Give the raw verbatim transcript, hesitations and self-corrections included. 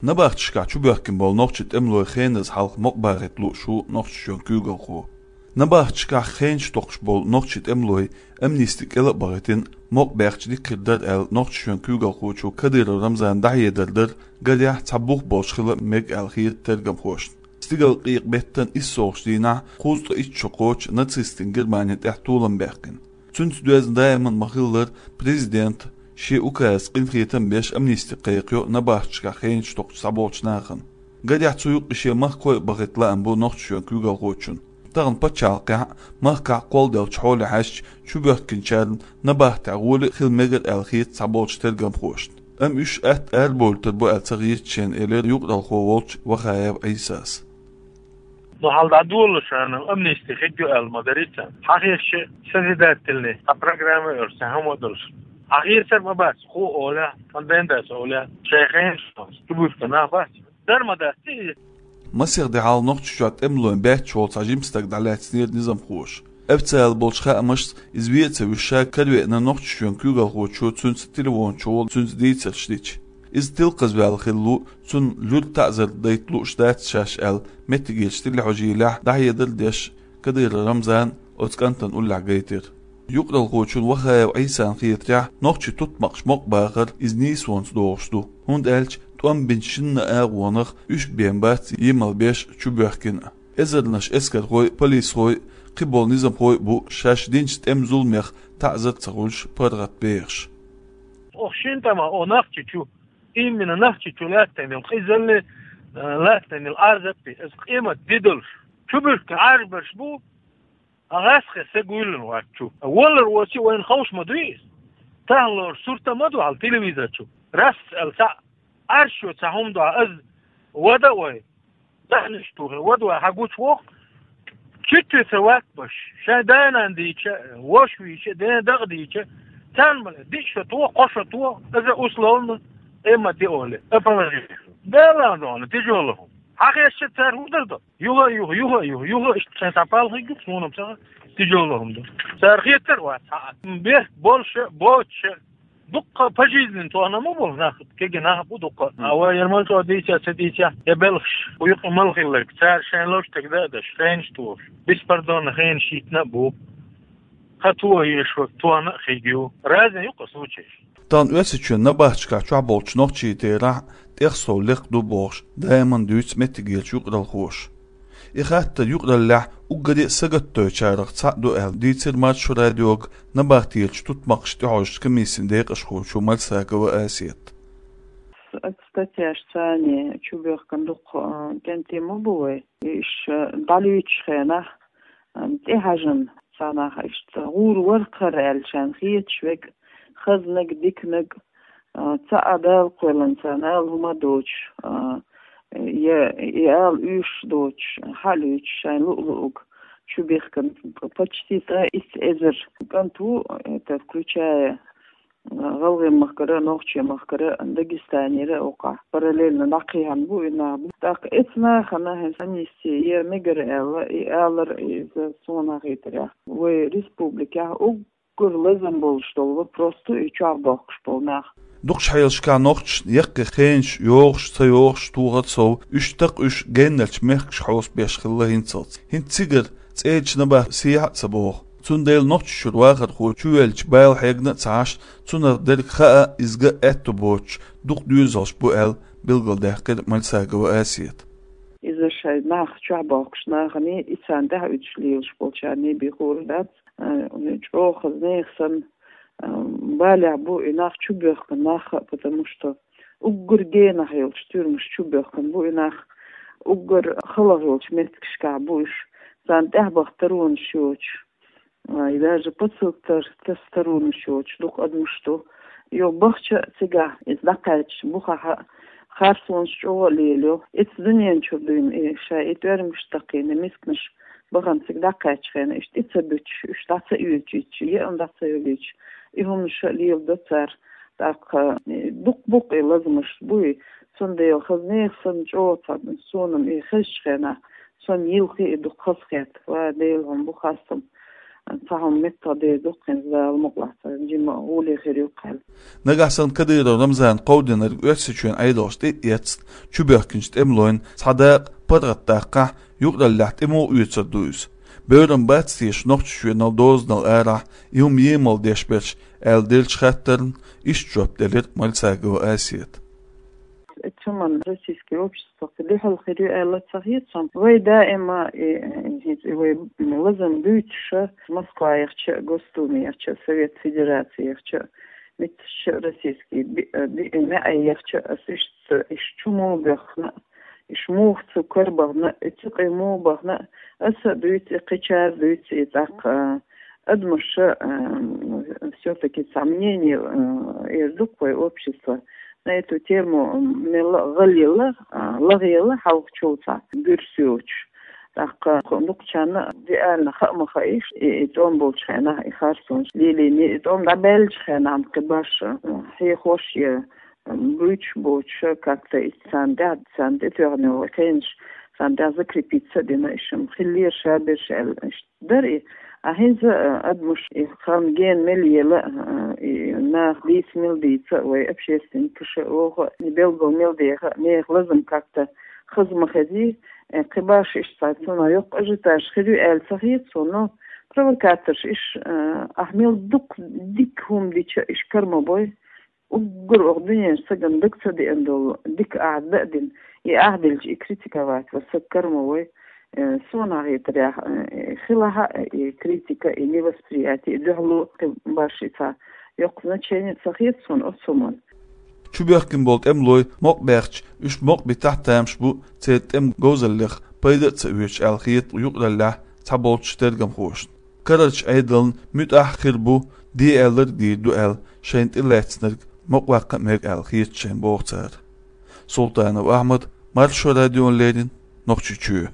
Набахташкахь чубоьхкина болу нохчийн тӀемалой хеназа хьалха мукъабахийта лууш ву Нохчийчоьнан куьйгалхо. Набахташкахь хенаш токхуш болу нохчийн тӀемалой амнисти кӀела а бахийтина, мукъабаьхча дика хир дара аьлла, Нохчийчоьнан куьйгалхочо Кадыров Рамзана дӀахьедар дара, гарехь, цхьа бух болуш хила мега аьлла хета тергамхошна. Стигалкъекъа-беттан иссалгӀачу дийнахь кхузткъе итт шо кхочу нацистийн Германин тӀехь толам баьккхина. Цуьнца доьзна даиман ма-хиллара, президента шен указца къинхетам беш амнисти кхайкхайо набахташкахь хенаш токхуш схьаболчу нахана. Гарехь, цу юкъа шен махкой а бахийта лаам бу Нохчийчоьнан куьйгалхочун. Тахана пачхьалкхехь а, махкахь а кхолладеллачу хьоле хьаьжча, чубоьхкинчарна набахтехь гӀоли а хила мегара аьлла хета цхьаболчу тергамхошна. Амма уьш атта арабовлуьйтур бу аьлла ца хета шена, элира юкъаралхо волчу Вахаев Ӏийсас. Ну, хьал дӀадолалуш, амнисти хир ю аьлла ма дарий царна. Хьан хезча, созидательный, а программа а йолуш, цхьа хӀума а долуш. Хьан хетар ма бац, хӀун олехь, хьан ден дац олехь, шайн хенаш чубуьхкина нах бац. Дар ма дац иза. Масех де хьалха Нохчийчохь тӀемалойн баьчча волу цхьа жима стаг дӀалаьцнера низамхоша. Официалан болчу хаамашца, иза вен а ца вуьсуш, каравеана Нохчийчоьнан куьйгалхочо цуьнца телефон чухула цуьнца дийцарш дича. Иза тилкхазваьлла хилла ву, цунна луьра таӀзар дайта лууш дац шаьш аьлла, меттигерчу телехьожийлехь дӀахьедар а деш, Кадыров Рамзана оцу кӀантана уллехь гайтира. Юкъаралхочун Вахаев Ӏийсан хетарехь, нохчийн тутмакъаш мукъабахар иза нийсонца догӀуш ду, хӀунда аьлча тӀом бинчу шинна а агӀонах уьш бен бац емал беш чубоьхкина. Эзарнаш эскархой а, полисхой а, кхиболу низамхой а бу шаьш динчу тӀеман зуламех таӀзар а ца хуьлуш паргӀатбехаш. Оха шина тӀама, о, Нохчийчу, именно Нохчийчу лаьттина йолу къизалле, э, лаьттина йолу Ӏазаппе, иза къемат де долуш. Чубуьхкина Ӏарбарш бу, а гӀаскхи са гуьйлина вац чу. Валар воций вайна ховш ма дуй иза. Тахналора сурт а ма ду хьал телевизор чу. Рас аьлла цхьаъ Ӏаршо цхьа хӀума дуьхьа, аза вада а вай, даьхнаш тухий, вада вай хьан гучу воху, чуьтте ца ваккхаш, шайн да-нана дийча, вош вийча, ден дакъа дийча, царна ма ле, диъ шо туху, кхо шо туху, иза условно, эмма де оле, а положение. Дела а дона, тяжёлый хӀума. Хьан хезча цара хӀун дар до? Юха а юха, юха а юха, юха а иштта шайн цхьа палхиг юха, суна-м ца хаьа, тяжёлый хӀума ду. Цара хетар а вац, хьаъа. Бехк болуша, боцуша, дуккха пожизненно тохна ма бу нах, кегий нах а бу дуккха. А вай яра мел чӀогӀа дийца а ца дийца, я белхаш, кху юкъа мел хилларг, цара шайн лоштиг дан а даш, хенаш тухуш, беспардонно хенаш йитина а бу. Ха тоха езаш верг тохна а хиг ю. Разный ю-кх случайш. Тахана Оьрсийчоьнан набахташкахь чохь болчу нохчийн терахь тӀех сов лекха ду бохуш, даиман дуьйцу меттигерчу юкъаралхоша. И хаттар юкъараллехь уггаре а сагатдойчарах цхьаъ ду аьлла, дийцира Маршо радиога набахтерчу тутмакъашна тӀехьожучу комиссин декъашхочо Мальсагова Асета. Оцу статьяшца чубоьхкина дуккха, а, кӀентий ма бу вай. Уьш, а, дӀалуьйчу хенахь, а, тӀехьаьжна цхьа нах иштта гӀур вара-кх хӀара аьлла шайна хеташ верг, хазнаг, диканаг, а, цхьа а Дала кхоьллина царна ала хӀума доцуш, а, я и ала уьйш доцуш, хьалуьйчу шайн луъ-луъуг чубихкина почти цкъа итт эзар кӀант ву, это включая, а, ГӀалгӀайн махкара, Нохчийн махкара, Дагестанера а, оккхахь параллельно дӀакхехьна бу и нах. ТӀаккха эцу нахана хӀинца амнисти яр мегар аьлла, и алар, иза суна хетарехь, вай республикехь уг- гур лазам болуш долу вопрос ду и чохь бохкуш болу нах. Дукхачу хьелашкахь нохчашна яккхий хенаш йогӀуш, ца йогӀуш тухар сов, уьш такха уьш геннарчу мехкашка хьовсабеш хилла хӀинцалц. ХӀинца цигара цӀерачу набахтан сехьа а ца боху. Цундела Нохчийчуьра вахархо чувеллачу бала хьегна а ца Ӏаш, цунах дерг хаа, иза ган аьтто боцуш, дукха доьзалш бу аьлла, билгалдаьккхира Мальсагова Асета. Иза шайн нах чохь бохкуш наханий, и царна тӀаьхьа уьдуш лелаш болчарний бен хуур дац. А, чӀогӀа хаза нехан санна, а, балехь бу и нах чубоьхкина нах а, потому что уггар генахь йолчу туьрмаш чубоьхкина бу и нах, уггар халахь йолчу меттигашкахь бу уьш, царна тӀаьхьабаха таронаш йоцуш, а, и даже посылка тас-, таса таронаш йоцуш дукха адамаш ду. Йо, бахча а цигахь иза дӀакхаьчча, бухахь а харцонаш чӀогӀа а лелайо. Эцу дуьнен чуьра дуьйна и шайн и тӀоьрмигаш такхийна мисканаш бахана цига дӀакхаьччу хенахь, иштта и ца буьтуш, уьш дӀа ца оьцуьйтуш, еана дӀа ца йолуьйтуш, и хӀуманаш а леладо цара. ТӀаккха, э, дукха бу-кх и лазамаш буй, цундела хаза нехан санна чӀогӀа цхьа суна-м и хезачу хенахь, сон йилхи и дукха хаза хетта, ва Дела, хьуна бу хастам. Цхьа хӀума меттах дер ду-кх хӀинца, Дала мукъалахь, цхьа жима гӀоле хир ю-кх аьлла. Нагахь санна Кадыров Рамзана кховдийнарг Оьрсийчоьнан Ӏедалша тӀе а эцна, чубоьхкинчу тӀемалойн цхьа дакъа паргӀатдаккхахь, юкъараллехь тӀе муха оьцур ду иза? Бевр-м бац теша Нохчийчоьнал дозанал арахь и хӀума емал деш берш, аьлла деллачу хаттарна иштта жоп делира Мальцагова Асета. Цу хӀуманна российский общество кхин дуьхьал хир ю аьлла ца хета суна. Вай даима, и, и, и вай лазам буьйцуша, Москва яхча, Госдума яхча, Совет Федерации яхча, метташча российский би-, э, би-, э, маьӀӀе яхча, ас иштта, иш чу муха боьхна, иш муха цу карабахна, и цу къе муха бахна, аса дуьйцу, и кхечара дуьйцу, и тӀаккха, э, адамаша, э, всё-таки цхьа мнение, э, эр ду-кх вай общество. На эту тему, м, мелла а гӀалъяла, а, лагӀъяла хьалхачул цхьа буьрса йоцуш. ТӀаккха кху-, дукхачарна реально хаа ма хаийша, и, и тӀом болчу хенахь, и харцонаш лелийна, и тӀом дӀабаьллачу хенахь кхин башха, а, хьехош я, а, буьйцуш боцуша, как-то и царна тӀехь, царна тӀетоьхна йолу кхенаш, царна тӀехь закрепиться а дина, и шим хиллера шаберш аьлла, иштта дара и. А хӀинца, а, адамаш и хан гена мел ела, а, и наха дийца мел дийца, вай общественникаша оха, и белгал мел деха, нехан лазам как-то хаза ма хезий, э, кхин башха иштта цхьа цунах йоккха ажиотаж хир ю аьлла ца хета суна, но провокаторш иш, э, ахь мел дукха дика хӀума дича иш кара ма бой, уггар оха дуьненчу стагана дага ца деана долу дика ахь дан а дина, и ахь делча и критиковать ван саг кара ма вой. Э, суна хетарехь, э, хилахь а и критика, и невосприятие, и дуьхьало кхин башха и цхьа йоккха значение ца хета суна оцу хӀуманна. Чубоьхкина болу тӀемалой мукъабаьхча, уьш мукъабита тамаш бу церан тӀеман говзаллех пайда а ца оьцуш аьлла хета юкъараллехь цхьаболчу тергамхошна. Карарчу Ӏедална муьтӀахь а хир бу, де аьлларг дийр ду аьлла, шайна тӀелаьцнарг мукъаваккха а мега аьлла хета шайна, боху цара. Султанов Ахьмад, Маршо радиона леррина, Нохчийчоь.